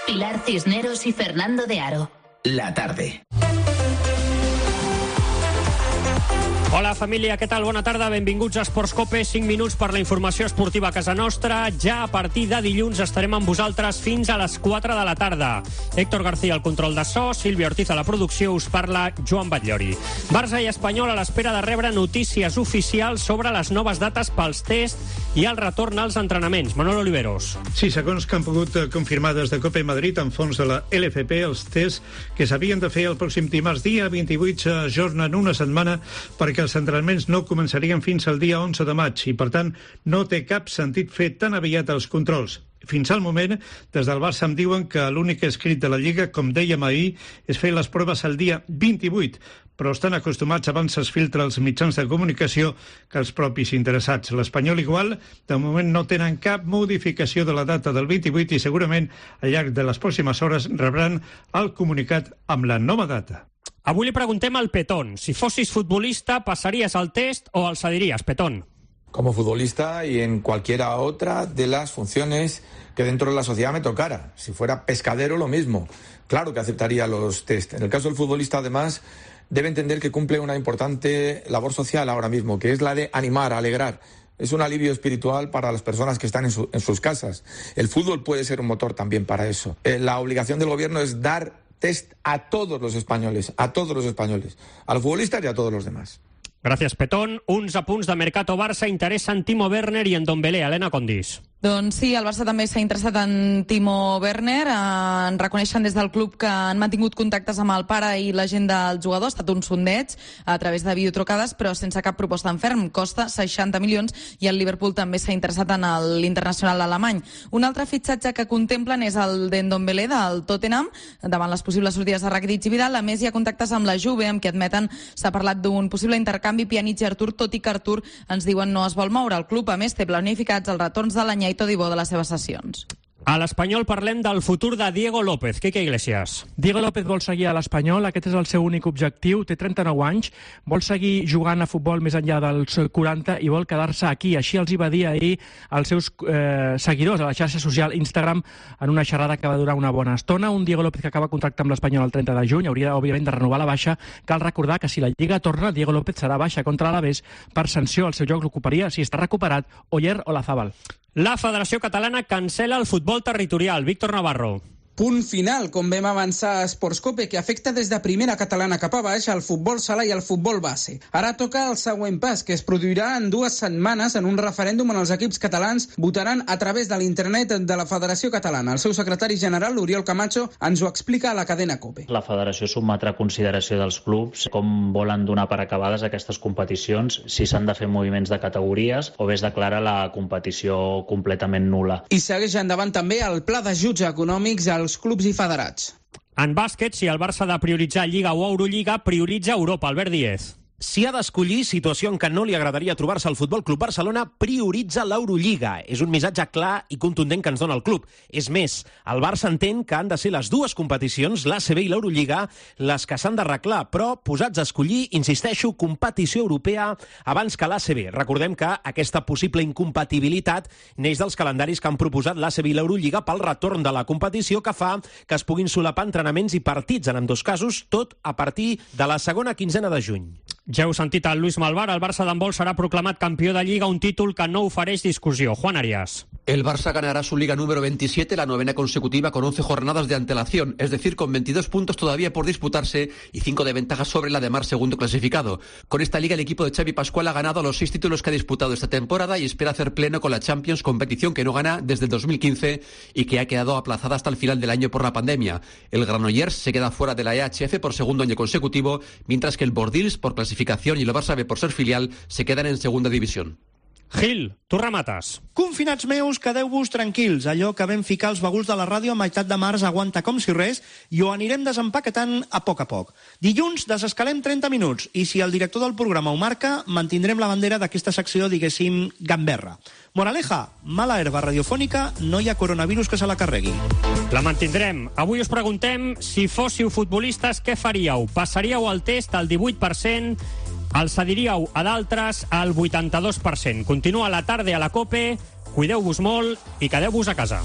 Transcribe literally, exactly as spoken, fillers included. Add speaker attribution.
Speaker 1: Pilar Cisneros y Fernando de Aro.
Speaker 2: La tarde.
Speaker 3: Hola família, què tal? Bona tarda, benvinguts a Esports Cope, cinc minuts per la informació esportiva a casa nostra. Ja a partir de dilluns estarem amb vosaltres fins a les quatre de la tarda. Héctor García al control de so, Sílvia Ortiz a la producció, us parla Joan Batllori. Barça i Espanyol a l'espera de rebre notícies oficials sobre les noves dates pels tests i el retorn als entrenaments. Manolo Oliveros.
Speaker 4: Sí, segons que han pogut confirmar des de Cope Madrid en fons de la L F P, els tests que s'havien de fer el pròxim dimarts dia vint-i-vuit s'ajornen una setmana perquè els entrenaments no començarien fins al dia onze de maig i, per tant, no té cap sentit fer tan aviat els controls. Fins al moment, des del Barça em diuen que l'únic escrit de la Lliga, com dèiem ahir, és fer les proves el dia vint-i-vuit, però estan acostumats abans es filtra els mitjans de comunicació que els propis interessats. L'Espanyol igual, de moment no tenen cap modificació de la data del vint-i-vuit i segurament al llarg de les pròximes hores rebran el comunicat amb la nova data.
Speaker 3: Avui li preguntem al Petón. Si fossis futbolista, ¿pasarías al test o al cedirías, Petón?
Speaker 5: Como futbolista y en cualquiera otra de las funciones que dentro de la sociedad me tocara. Si fuera pescadero, lo mismo. Claro que aceptaría los test. En el caso del futbolista, además, debe entender que cumple una importante labor social ahora mismo, que es la de animar, alegrar. Es un alivio espiritual para las personas que están en, su, en sus casas. El fútbol puede ser un motor también para eso. Eh, la obligación del gobierno es dar test a todos los españoles, a todos los españoles, a los futbolistas y a todos los demás.
Speaker 3: Gràcies, Petón. Uns apunts de Mercato Barça interessen Timo Werner i en Ndombélé. Helena Condis.
Speaker 6: Doncs sí, el Barça també s'ha interessat en Timo Werner. Eh, en reconeixen des del club que han mantingut contactes amb el pare i la gent del jugador. Ha estat un sondeig a través de videotrucades, però sense cap proposta en ferm. Costa seixanta milions i el Liverpool també s'ha interessat en l'internacional alemany. Un altre fitxatge que contemplen és el d'Ndombélé del Tottenham. Davant les possibles sortides de Rakitic i Vidal, a més hi ha contactes amb la Juve, amb qui admeten s'ha parlat d'un possible intercanvi Pjanic i Artur, tot i que Artur, ens diuen, no es vol moure. El club, a més, té planificats els retorns de l'any Todibó de les seves sessions.
Speaker 3: A l'Espanyol parlem del futur de Diego López. Quique Iglesias.
Speaker 7: Diego López vol seguir a l'Espanyol, aquest és el seu únic objectiu, té trenta-nou anys, vol seguir jugant a futbol més enllà dels quaranta i vol quedar-se aquí. Així els hi va dir ahir als seus eh, seguidors a la xarxa social Instagram en una xerrada que va durar una bona estona. Un Diego López que acaba contracte amb l'Espanyol el trenta de juny, hauria òbviament de renovar la baixa. Cal recordar que si la Lliga torna, Diego López serà baixa contra l'Alavés per sanció. El seu joc l'ocuparia, si està recuperat, Oyer o Olazábal.
Speaker 3: La Federació Catalana cancela el futbol territorial. Víctor Navarro.
Speaker 8: Punt final, com vam avançar a Esports Cope, que afecta des de primera catalana cap a baix al futbol sala i al futbol base. Ara toca el següent pas, que es produirà en dues setmanes en un referèndum on els equips catalans votaran a través de l'internet de la Federació Catalana. El seu secretari general, l'Oriol Camacho, ens ho explica a la cadena Cope.
Speaker 9: La Federació sotmetrà a consideració dels clubs com volen donar per acabades aquestes competicions, si s'han de fer moviments de categories o bé es declara la competició completament nul·la.
Speaker 8: I segueix endavant també el pla d'ajuts econòmics al els clubs i federats.
Speaker 3: En bàsquet, si el Barça ha de prioritzar Lliga o Eurolliga, prioritza Europa. Albert Díez.
Speaker 10: Si ha d'escollir situació en què no li agradaria trobar-se al Futbol Club Barcelona, prioritza l'Eurolliga. És un missatge clar i contundent que ens dona el club. És més, el Barça entén que han de ser les dues competicions, l'A C B i l'Eurolliga, les que s'han d'arreglar, però posats a escollir, insisteixo, competició europea abans que l'A C B. Recordem que aquesta possible incompatibilitat neix dels calendaris que han proposat l'A C B i l'Eurolliga pel retorn de la competició, que fa que es puguin solapar entrenaments i partits, en ambdós casos, tot a partir de la segona quinzena de juny.
Speaker 3: Ja heu sentit el Luis Malvar, el Barça d'handbol serà proclamat campió de Lliga, un títol que no ofereix discussió. Juan Arias.
Speaker 11: El Barça ganará su Liga número veintisiete, la novena consecutiva con once jornadas de antelación, es decir, con veintidós puntos todavía por disputarse y cinco de ventaja sobre la de Mar, segundo clasificado. Con esta Liga el equipo de Xavi Pascual ha ganado los seis títulos que ha disputado esta temporada y espera hacer pleno con la Champions, competición que no gana desde el dos mil quince y que ha quedado aplazada hasta el final del año por la pandemia. El Granollers se queda fuera de la E H F por segundo año consecutivo, mientras que el Bordils, por clasificación, y el Barça B, por ser filial, se quedan en segunda división.
Speaker 3: Gil, tu remates.
Speaker 12: Confinats meus, quedeu-vos tranquils. Allò que vam ficar els baguls de la ràdio a meitat de març aguanta com si res i ho anirem desempaquetant a poc a poc. Dilluns desescalem trenta minuts i si el director del programa ho marca, mantindrem la bandera d'aquesta secció, diguéssim, gamberra. Moraleja, mala herba radiofònica, no hi ha coronavirus que se la carregui.
Speaker 3: La mantindrem. Avui us preguntem si fóssiu futbolistes, què faríeu? Passaríeu el test al divuit per cent, el cediríeu a d'altres al vuitanta-dos per cent. Continua la tarda a la COPE, cuideu-vos molt i quedeu-vos a casa.